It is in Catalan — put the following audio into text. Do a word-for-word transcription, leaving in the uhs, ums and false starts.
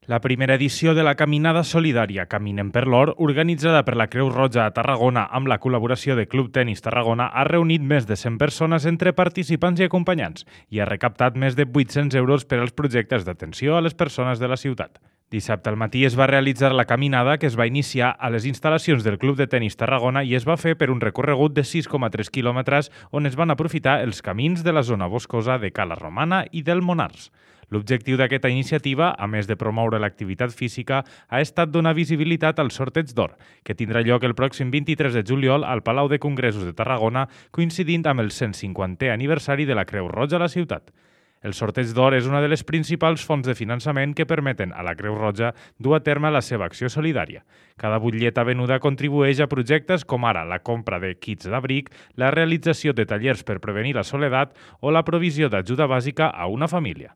La primera edició de la Caminada Solidària Caminem per l'Or, organitzada per la Creu Roja a Tarragona amb la col·laboració de Club Tenis Tarragona, ha reunit més de cent persones entre participants i acompanyants i ha recaptat més de vuit-cents euros per als projectes d'atenció a les persones de la ciutat. Dissabte al matí es va realitzar la caminada, que es va iniciar a les instal·lacions del Club de Tenis Tarragona i es va fer per un recorregut de sis coma tres quilòmetres on es van aprofitar els camins de la zona boscosa de Cala Romana i del Monars. L'objectiu d'aquesta iniciativa, a més de promoure l'activitat física, ha estat donar visibilitat al sorteig d'or, que tindrà lloc el pròxim vint-i-tres de juliol al Palau de Congressos de Tarragona, coincidint amb el cent cinquantè aniversari de la Creu Roja a la ciutat. El sorteig d'or és una de les principals fonts de finançament que permeten a la Creu Roja dur a terme la seva acció solidària. Cada butlleta venuda contribueix a projectes com ara la compra de kits d'abric, la realització de tallers per prevenir la soledat o la provisió d'ajuda bàsica a una família.